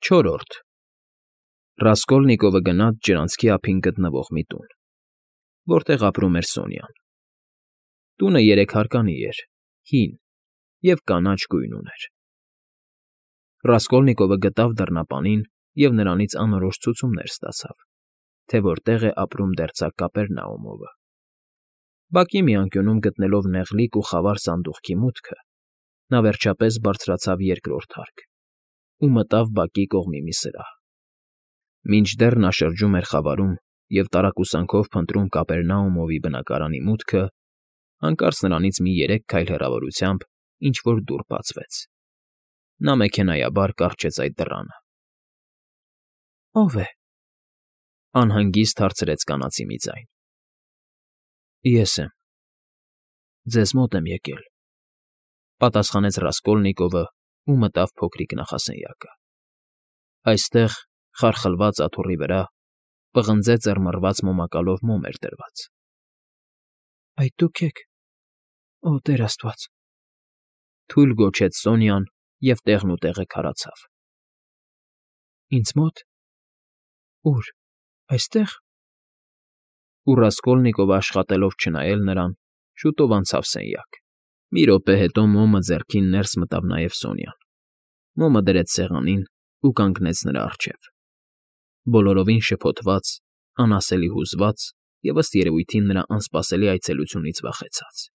Չորրորդ Ռասկոլնիկովը գնաց ջրանցքի ափին գտնվող մի տուն, որտեղ ապրում էր Սոնյան։ Տունը երեքհարկանի էր, հին և կանաչ գույն ուներ։ Ռասկոլնիկովը գտավ դռնապանին և նրանից անորոշ ցուցումներ ստացավ, թե որտեղ է ապրում դերձակ Կապերնաումովը։ Բակի մի անկյունում գտնելով նեղլիկ ու խավար սանդուղքի մուտքը, նա վերջապես բարձրացավ երկրորդ հարկ ու մտավ բակի կողմի մի սրահ։ Մինչդեռ նա շրջում էր խավարում և տարակուսանքով փնտրում Կապերնաումովի բնակարանի մուտքը, հանկարծ նրանից մի 3 քայլ հեռավորությամբ ինչ֊որ դուռ բացվեց։ Նա մեքենայաբար կառչեց այդ դռանը։ ո՞վ է,֊ անհանգիստ հարցրեց կանացի մի ձայն։ Ես եմ, ձեզ մոտ եմ եկել,֊ պատասխանեց Ռասկոլնիկովը ու մտավ փոքրիկ նախասենյակը։ Այստեղ, խարխլված աթոռի վրա, պղնձե ծռմռված մոմակալով մոմ էր դրված։ Այդ դուք եք… Օ, Տեր Աստված,֊ թույլ գոչեց Սոնյան և տեղնուտեղը քարացավ։ Ինձ մո՞տ… Ո՞ւր… Այստեղ… Ու Ռասկոլնիկովը աշխատելով չնայել նրան, շուտով անցավ սենյակ։ Մի րոպե հետո մոմը ձեռքին ներս մտավ նաև Սոնյան, մոմը դրեց սեղանին ու կանգնեց նրա առջև, բոլորովին շփոթված, անասելի հուզված և, ըստ երևույթին, նրա անսպասելի այցելությունից վախեցած։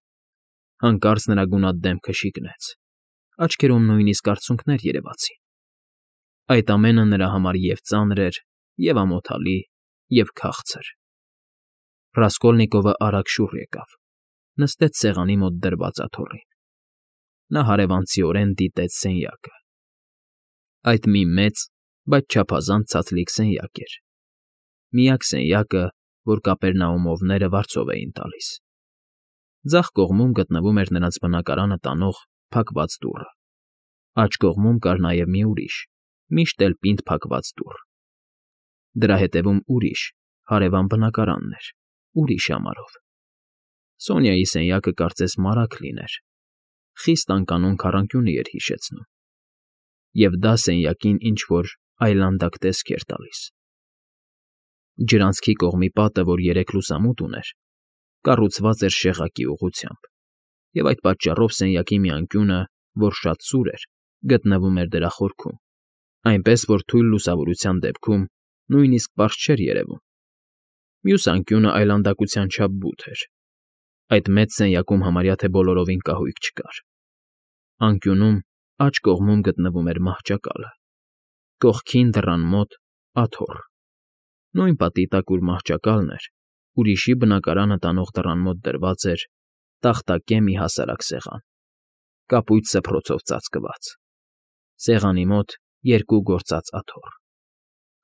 Հանկարծ նրա գունատ դեմքը շիկնեց, աչքերում նույնիսկ արցունքներ երևացին։ Այդ ամենը նրա համար և՛ ծանր էր, և՛ ամոթալի, և՛ քաղցր։ Ռասկոլնիկովը արագ շուռ եկավ, նստեց սեղանի մոտ դրված աթոռին։ Նա հարևանցիորեն դիտեց սենյակը։ Այդ մի մեծ, բայց չափազանց ցածլիկ սենյակ էր, միակ սենյակը, որ Կապերնաումովները վարձով էին տալիս։ Ձախ կողմում գտնվում էր նրանց բնակարանը տանող փակված դուռը, աջ կողմում կար նաև մի ուրիշ, միշտ էլ պինդ փակված դուռ։ Դրա հետևում ուրիշ, հարևան բնակարանն էր, ուրիշ ամարով։ Սոնյայի սենյակը կարծես մարագ լիներ, խիստ անկանոն քառանկյունի էր հիշեցնում, և դա սենյակին ինչ֊որ այլանդակ տեսք էր տալիս։ Ջրանցքի կողմի պատը, որ 3 լուսամուտ ուներ, կառուցված էր շեղակի ուղղությամբ, և այդ պատճառով սենյակի մի անկյունը, որ շատ սուր էր, գտնվում էր դրա խորքում, այնպես որ թույլ լուսավորության դեպքում նույնիսկ պարզ չէր երևում։ Մյուս անկյունը այլանդակության չափ բութ էր։ Այդ մեծ սենյակում համարյա թե բոլորովին կահույք չկար։ Անկյունում, աջ կողմում գտնվում էր մահճակալը, կողքին, դռան մոտ, աթոռ։ Նույն պատի տակ, ուր մահճակալն էր, ուրիշի բնակարանը տանող դռան մոտ դրված էր տախտակե մի հասարակ սեղան, կապույտ սփռոցով ծածկված։ Սեղանի մոտ 2 գործած աթոռ։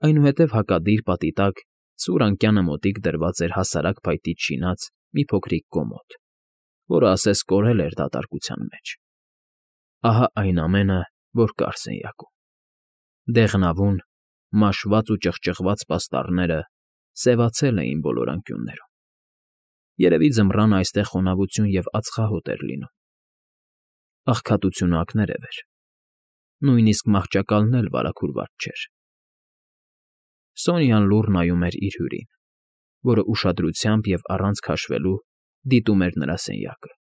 Այնուհետև հակադիր պատի տակ սուր անկյանը մոտիկ դրված էր հասարակ փայտից շինած մի փոքրիկ կոմոդ, որը ասես կորել էր դատարկության մեջ։ Ահա այն ամենը, որ կար սենյակում։ Դեղնավուն, մաշված ու ճղճղված պաստառները սևացել էին բոլոր անկյուններում։ Երևի ձմռանը այստեղ խոնավություն և ածխահոտ էր լինում։ Աղքատությունը ակներև էր։ Նույնիսկ մահճակալն էլ վարագուրված չէր։ Սոնյան լուռ նայում էր իր հյուրին, որը ուշադրությամբ և առանց քաշվելու դիտում էր նրա սենյակը։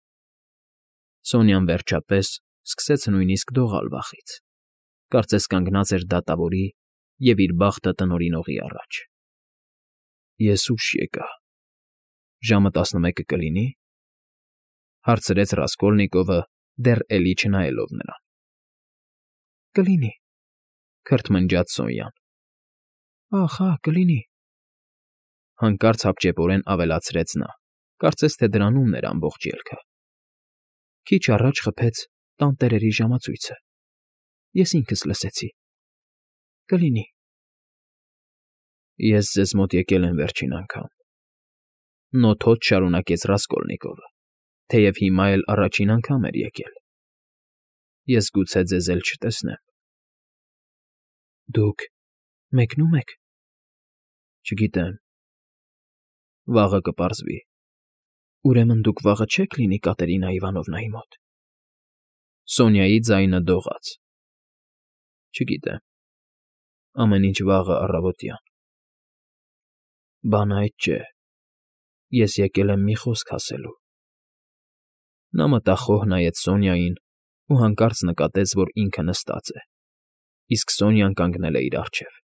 Սոնյան վերջապես սկսեց նույնիսկ դողալ վախից, կարծես կանգնած էր դատավորի և իր բախտը տնօրինողի առաջ։ Ես ուշ եկա… Ժամը 11 կլինի՞,֊ հարցրեց Ռասկոլնիկովը, դեռ էլի չնայելով նրան։ Կլինի…֊ քրթմնջաց Սոնյան։ Ախ, հա, կլինի…֊ հանկարծ հապճեպորեն ավելացրեց նա, կարծես թե դրանումն էր ամբողջ ելքը։ Քիչ առաջ խփեց տանտերերի ժամացույցը, ես ինքս լսեցի… Կլինի… Ես ձեզ մոտ եկել եմ վերջին անգամ…֊ նոթոց շարունակեց Ռասկոլնիկովը, թեև հիմա էլ առաջին անգամ էր եկել։ Ես գուցե ձեզ էլ չտեսնեմ… Դուք մեկնո՞ւմ եք… Չգիտեմ… Վաղը կպարզվի… Ուրեմն դուք վաղը չե՞ք լինի Կատերինա Իվանովնայի մոտ… Սոնյայի ձայնը դողաց… Չգիտեմ… ամեն ինչ վաղը առավոտյան։ Բանը այդ չէ, ես եկել եմ մի խոսք ասելու։ Նա մտախոհ նայեց Սոնյային ու հանկարծ նկատեց, որ ինքը նստած է, իսկ Սոնյան կանգնել է իր առջև։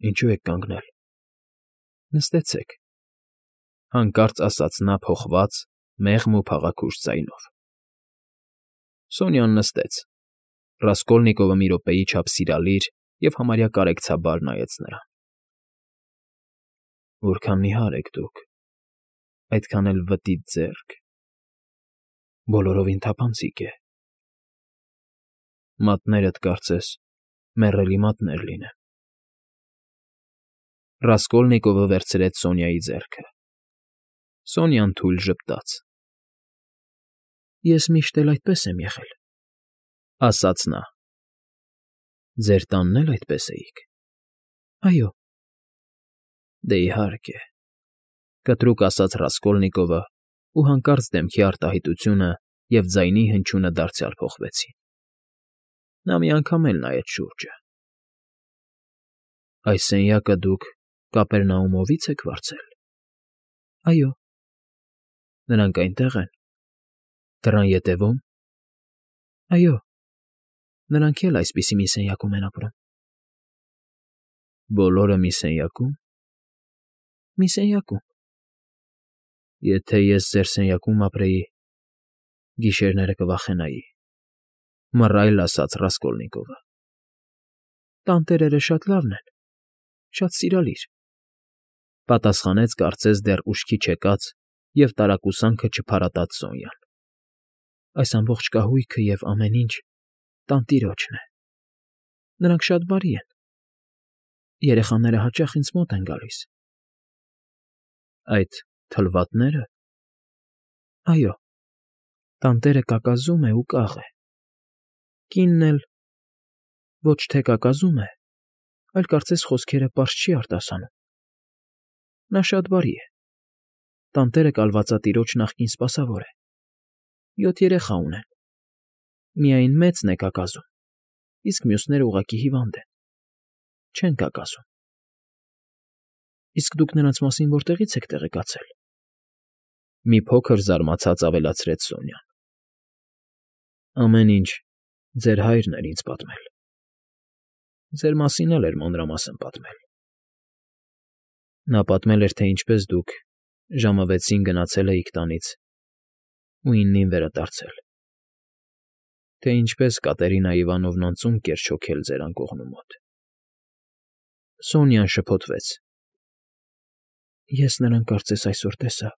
Ինչու եք կանգնել։ Նստեցեք, հանկարծ ասաց նա փոխված, մեղմ ու փաղաքուշ ձայնով։ Սոնյան նստեց։ Ռասկոլնիկովը մի րոպեի չափ սիրալիր և համարյա կարեկցաբար նայեց նրան։ Որքան նիհար եք դուք, այդքան էլ վտիտ ձեռք, բոլորովին թափանցիկ է։ Մատներդ, կարծես, մեռելի մատներ լինեն։ Ռասկոլնիկովը վերցրեց Սոնյայի ձեռքը։ Սոնյան թույլ ժպտաց։ Ես միշտ էլ այդպես եմ եղել, ասաց նա։ Ձեր տանն էլ այդպես էիք։ Այո։ Դե իհարկե, կտրուկ ասաց Ռասկոլնիկովը, ու հանկարծ դեմքի արտահայտությունը և ձայնի հնչյունը դարձյալ փոխվեցին։ Նա մի անգամ էլ նայեց շուրջը։ Այս սենյակը դուք Կապերնաումովի՞ց եք վարձել։ Այո։ Նրանք այնտեղ են։ Դռան ետևո՞ւմ։ Այո։ Նրանք էլ այսպիսի մի սենյակում են ապրում։ Բոլորը մի սենյակո՞ւմ։ Մի սենյակում։ Եթե ես ձեր սենյակում ապրեի, գիշերները կվախենայի, մռայլ ասաց Ռասկոլնիկովը։ Տանտերերը շատ լավն են, շատ սիրալիր, պատասխանեց կարծես դեռ ուշքի չեկած և տարակուսանքը չփարատած Սոնյան։ Այս ամբողջ կահույքը և ամեն ինչ տանտիրոջն է։ Նրանք շատ բարի են։ Երեխաները հաճախ ինձ մոտ են գալիս։ Այդ թլվատնե՞րը։ Այո։ Տանտերը կակազում է ու կաղ է։ Կինն էլ ոչ թե կակազում է, այլ կարծես խոսքերը պարզ չի արտասանում։ Նա շատ բարի է։ Տանտերը կալվածատիրոջ նախկին սպասավոր է։ 7 երեխա ունեն։ Միայն մեծն է կակազում, իսկ մյուսները ուղղակի հիվանդ են, չեն կակազում։ Իսկ դուք նրանց մասին որտեղի՞ց եք տեղեկացել։ Մի փոքր զարմացած ավելացրեց Սոնյան։ Ամեն ինչ ձեր հայրն էր ինձ պատմել։ Ձեր մասին էլ էր մանրամասն պատմել։ Նա պատմել էր, թե ինչպես դուք ժամը 6-ին գնացել էիք տանից ու 9-ին վերադարձել, թե ինչպես Կատերինա Իվանովնան ծունկ էր չոքել ձեր անկողնու մոտ։ Սոնյան շփոթվեց։ Ես նրան կարծես այսօր տեսա։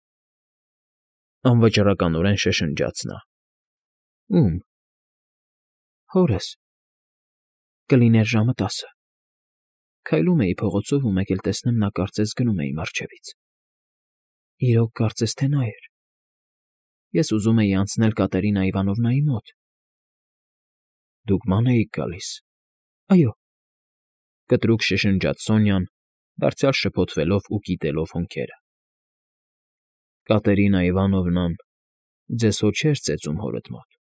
Անվճռականորեն շշնջաց նա։ Ո՞ւմ։ Հորս։ Կլիներ ժամը 10։ Քայլում էի փողոցով ու մեկ էլ տեսնեմ նա կարծես գնում է իմ առջևից։ Իրոք կարծես թե նա էր։ Ես ուզում էի անցնել Կատերինա Իվանովնայի մոտ։ Դուք ման էիք գալիս։ Այո։ Կտրուկ շշնջաց Սոնյան, դարձյալ շփոթվելով ու կիտելով հոնքերը։ Կատերինա Իվանովնան ձեզ հո չէր ծեծում հորդ մոտ։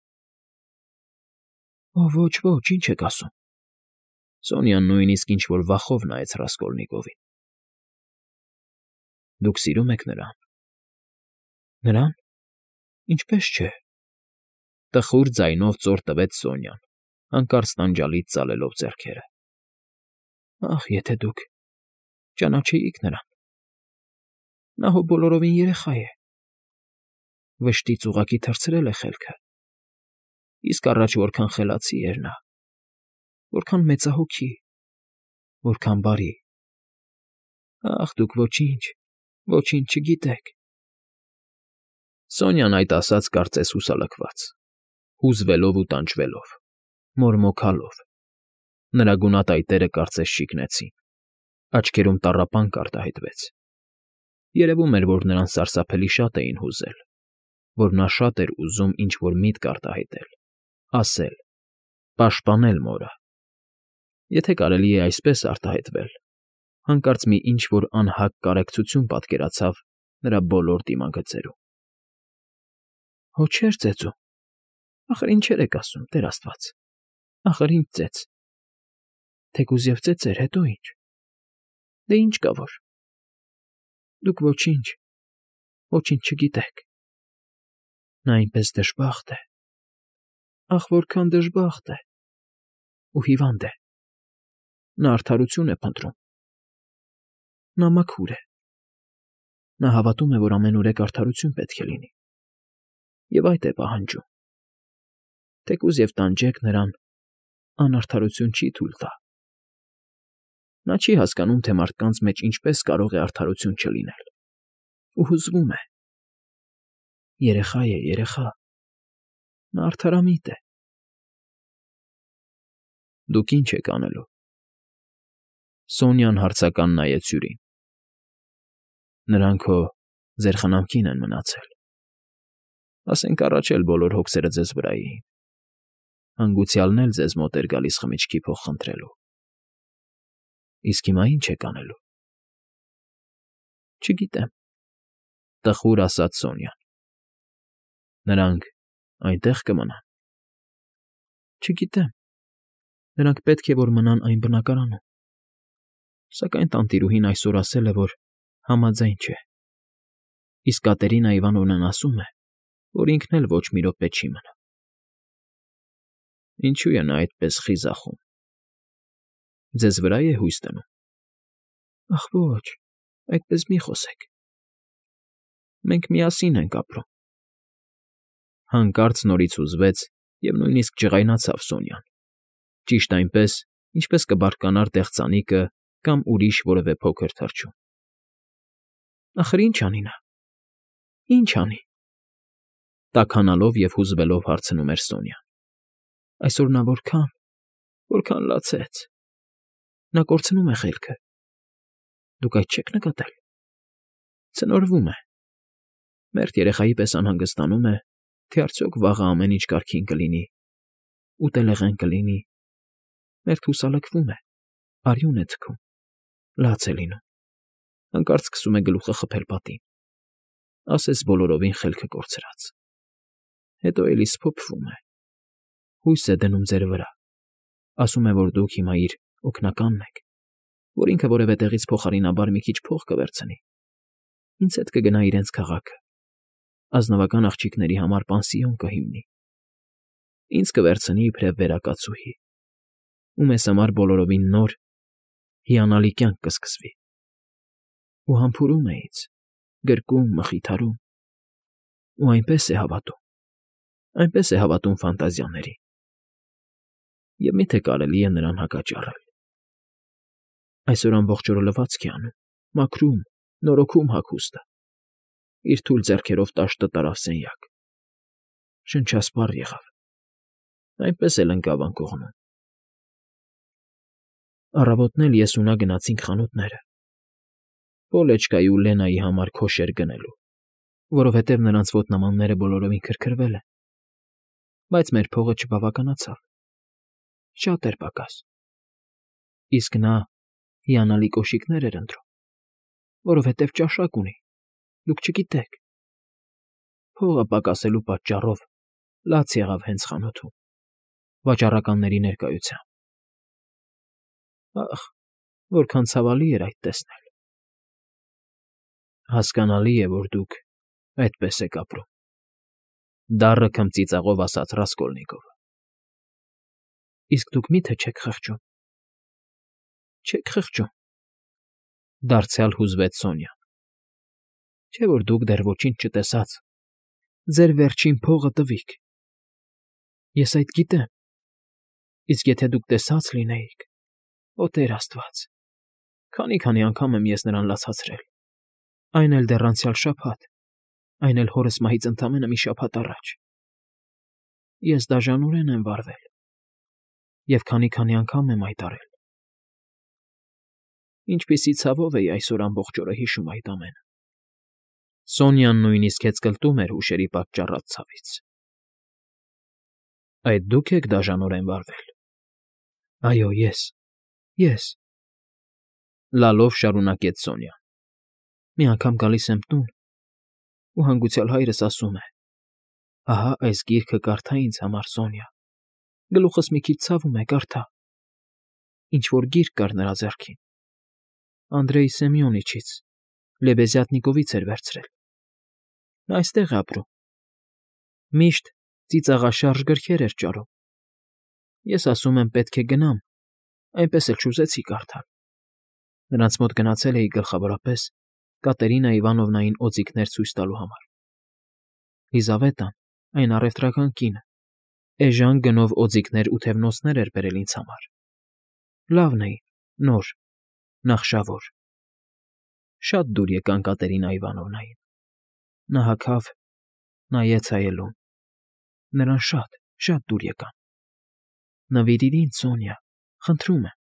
Ոչ, ոչ, ինչ եք ասում։ Սոնյան նույնիսկ ինչ֊որ վախով նայեց Ռասկոլնիկովին։ Դուք սիրում եք նրան։ Նրան։ Ինչպես չէ։ Տխուր ձայնով ծոր տվեց Սոնյան, հանկարծ տանջալից ծալելով ձեռքերը։ Ախ, եթե դուք ճանաչեիք նրան։ Նա հո բոլորովին երեխա է։ Վշտից ուղղակի թռցրել է խելքը։ Իսկ առաջ որքան խելացի էր նա, որքան մեծահոգի, որքան բարի։ Ախ, դուք ոչինչ, ոչինչ չգիտեք։ Սոնյան այդ ասաց կարծես հուսալքված, հուզվելով ու տանջվելով, մորմոքալով։ Նրա գունատայտերը կարծես շիկնեցին, աչքերում տառապանք արտահայտվեց։ Երևում էր, որ նրան սարսափելի շատ էին հուզել, որ նա շատ էր ուզում ինչ֊որ միտք արտահայտել, ասել, պաշտպանել մորը։ Եթե կարելի է այսպես արտահայտվել, հանկարծ մի ինչ֊որ անհագ կարեկցություն պատկերացավ նրա բոլոր դիմագծերում։ Հո չէր ծեծում։ Ախր ինչեր եք ասում, Տեր Աստված։ Ախր ինչ ծեծ։ Թեկուզ և ծեծեր, հետո ինչ։ Դե ինչ կա որ։ Դուք ոչինչ չգիտեք։ Նա այնպես դժբախտ է։ Ախ, որքան դժբախտ է։ Ու հիվանդ է։ Նա արդարություն է փնտրում։ Նա մաքուր է։ Նա հավատում է, որ ամենուրեք արդարություն պետք է լինի։ Եվ այդ է պահանջում։ Թեկուզ և տանջեք նրան, անարդարություն չի թույլ տա։ Նա չի հասկանում, թե մարդկանց մեջ ինչպես կարող է արդարություն չլինել։ Ու հուզվում է։ Երեխա է, երեխա։ Նա արդարամիտ է։ Դուք ինչ եք անելու։ Սոնյան հարցական նայեց հյուրին։ Նրանք հո ձեր խնամքին են մնացել։ Ասենք առաջ էլ բոլոր հոգսերը ձեզ վրա էին։ Հանգուցյալն էլ ձեզ մոտ էր գալիս խմիչքի փող խնդրելու։ Իսկ հիմա ինչ եք անելու։ Չգիտեմ, տխուր ասաց Սոնյան։ Նրանք այնտեղ կմնան։ Չգիտեմ։ Նրանք պետք է որ մնան այն բնակարանում։ Սակայն տանտիրուհին այսօր ասել է, որ համաձայն չէ։ Իսկ Կատերինա Իվանովնան ասում է, որ ինքն էլ ոչ մի րոպե չի մնա։ Ինչու է նա այդպես խիզախում։ Ձեզ վրա է հույս դնում։ Ախ ոչ, այդպես մի խոսեք։ Մենք միասին ենք ապրում։ Հանկարծ նորից հուզվեց և նույնիսկ ջղայնացավ Սոնյան։ Ճիշտ այնպես, ինչպես կբարկանար տեղծանիկը կամ ուրիշ որևէ փոքր թռչուն։ Ախր ինչ անի նա։ Ինչ անի։ Տաքանալով և հուզվելով հարցնում էր Սոնյան։ Այսօր նա որքան լացեց։ Նա կորցնում է խելքը։ Դուք այդ չեք նկատել։ Ցնորվում է։ Մերթ երեխայի պես անհանգստանում է, թե արդյոք վաղը ամեն ինչ կարգին կլինի, ուտելեղեն կլինի։ Մերթ հուսալքվում է, արյուն է թքում, լաց է լինում։ Հանկարծ սկսում է գլուխը խփել պատին։ Ասես բոլորովին խելքը կորցրած։ Հետո էլի սփոփվում է։ Հույս է դնում ձեր վրա։ Ասում է, որ դուք հիմա իր օգնականն եք, որ ինքը որևէ տեղից փոխարինաբար մի քիչ փող կվերցնի։ Ինձ հետ կգնա իրենց քաղաքը։ Ազնվական աղջիկների համար պանսիոն կհիմնի։ Ինձ կվերցնի իբրև վերակացուհի։ Ու մեզ համար բոլորովին նոր, հիանալի կյանք կսկսվի։ Ու համբուրում է ինձ, գրկում, մխիթարում։ Ու այնպես է հավատում ֆանտազիաների։ Եվ միթե կարելի է նրան հակաճառել։ Այսօր ամբողջ օրը լվացք է անում, մաքրում, նորոգում հագուստը։ Իր թույլ ձեռքերով տաշտը տարավ սենյակ։ Շնչասպառ եղավ։ Այնպես էլ ընկավ անկողնում։ Առավոտն էլ ես ու նա գնացինք խանութները։ Պոլեչկայի ու Լենայի համար քոշեր գնելու, որովհետև նրանց ոտնամանները բոլորովին քրքրվել են։ Բայց մեր փողը չբավականացավ։ Շատ էր պակաս։ Իսկ նա հիանալի կոշիկներ էր ընտրում, որովհետև ճաշակ ունի, դուք չգիտեք։ Փողը պակասելու պատճառով լաց եղավ հենց խանութում, վաճառականների ներկայությամբ։ Ախ, որքան ցավալի էր այդ տեսնել։ Հասկանալի է, որ դուք այդպես եք ապրում, դառը քմծիծաղով ասաց Ռասկոլնիկովը։ Իսկ դուք մի՞թե չեք խղճում։ Չեք խղճում, դարձյալ հուզվեց Սոնյան։ Չէ՞ որ դուք դեռ ոչինչ չտեսաց, ձեր վերջին փողը տվիք։ Ես այդ գիտեմ։ Իսկ եթե դուք տեսած լինեիք, օ Տեր Աստված, քանի անգամ եմ ես նրան լացացրել, այն էլ դեռ անցյալ շաբաթ, այն էլ հորս մահից ընդամենը մի շաբաթ առաջ։ Ես դաժանորեն եմ վարվել և քանի անգամ եմ այդ արել։ Ինչպիսի ցավով էի այսօր ամբողջ օրը հիշում այդ ամենը։ Սոնյան նույնիսկ հեծկլտում էր հուշերի պատճառած ցավից։ Այդ դուք եք դաժանորեն վարվել։ Այո, ես։ Լալով շարունակեց Սոնյան։ Մի անգամ գալիս եմ տուն, ու հանգուցյալ հայրս ասում է. ահա այս գիրքը կարդա ինձ համար, Սոնյա։ Գլուխս մի քիչ ցավում է, կարդա։ Ինչ֊որ գիրք կար նրա ձեռքին։ Անդրեյ Սեմյոնիչից, Լեբեզյատնիկովից էր վերցրել։ Նա այստեղ է ապրում։ Միշտ ծիծաղաշարժ գրքեր էր ճարում։ Ես ասում եմ, պետք է գնամ, այնպես էլ չուզեցի կարդալ։ Նրանց մոտ գնացել էի գլխավորապես Կատերինա Իվանովնային օձիքներ ցույց տալու համար։ Լիզավետան, այն առևտրական կինը, էժան գնով օձիքներ ու թևնոցներ էր բերել ինձ համար։ Լավն էին, նոր, նախշավոր։ Շատ դուր եկան Կատերինա Իվանովնային։ Նա հագավ, նայեց հայելուն։ Նրան շատ դուր եկան։ Նվիրիր ինձ, Սոնյա, խնդրում եմ։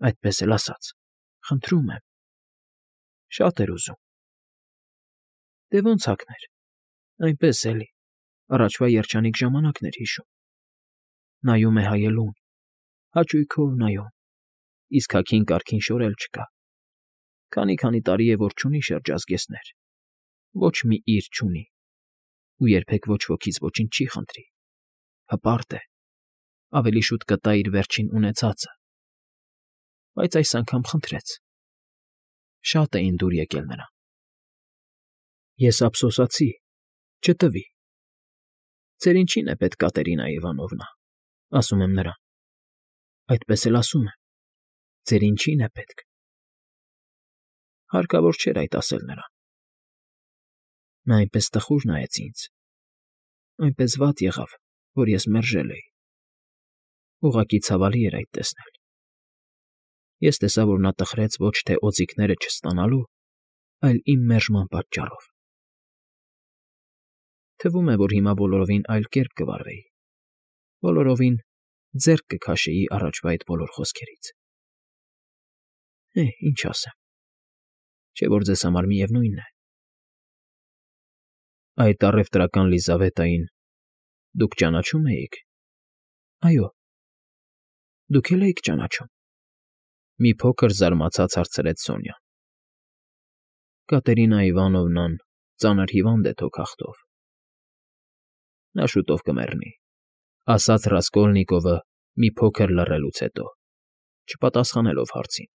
Այդպես էլ ասաց. խնդրում եմ։ Շատ էր ուզում։ Դե ոնց հագներ, այնպես էլի, առաջվա երջանիկ ժամանակն էր հիշում։ Նայում է հայելուն, հաճույքով նայում, իսկ հագին կարգին շորել չկա։ Քանի տարի է, որ չունի շրջազգեստներ, ոչ մի իր չունի, ու երբեք ոչ ոքից ոչինչ չի խնդրի։ Հպարտ է, ավելի շուտ կտա իր վերջին ունեցածը, բայց այս անգամ խնդրեց։ Շատ էին դուր եկել նրան։ Ես ափսոսացի, չտվի։ Ձեր ինչին է պետք, Կատերինա Իվանովնա, ասում եմ նրան։ Այդպես էլ ասում եմ, ձեր ինչին է պետք։ Հարկավոր չէր այդ ասել նրան։ Նա այնպես տխուր նայեց ինձ, այնպես վատ եղավ, որ ես մերժել էի։ Ուղղակի ցավալի էր այդ տեսնել։ Ես տեսա, որ նա տխրեց ոչ թե օձիքները չստանալու, այլ իմ մերժման պատճառով։ Թվում է, որ հիմա բոլորովին այլ կերպ կվարվեի, բոլորովին ձեռք կքաշեի առաջվա այդ բոլոր խոսքերից։ Ինչ ասեմ, չէ՞ որ ձեզ համար միևնույն է։ Այդ առևտրական Լիզավետային դուք ճանաչում էիք։ Այո։ Դուք էլ էիք ճանաչում։ Մի փոքր զարմացած հարցրեց Սոնյան։ Կատերինա Իվանովնան ծանր հիվանդ է թոքախտով։ Նա շուտով կմեռնի, ասաց Ռասկոլնիկովը մի փոքր լռելուց հետո, չպատասխանելով հարցին։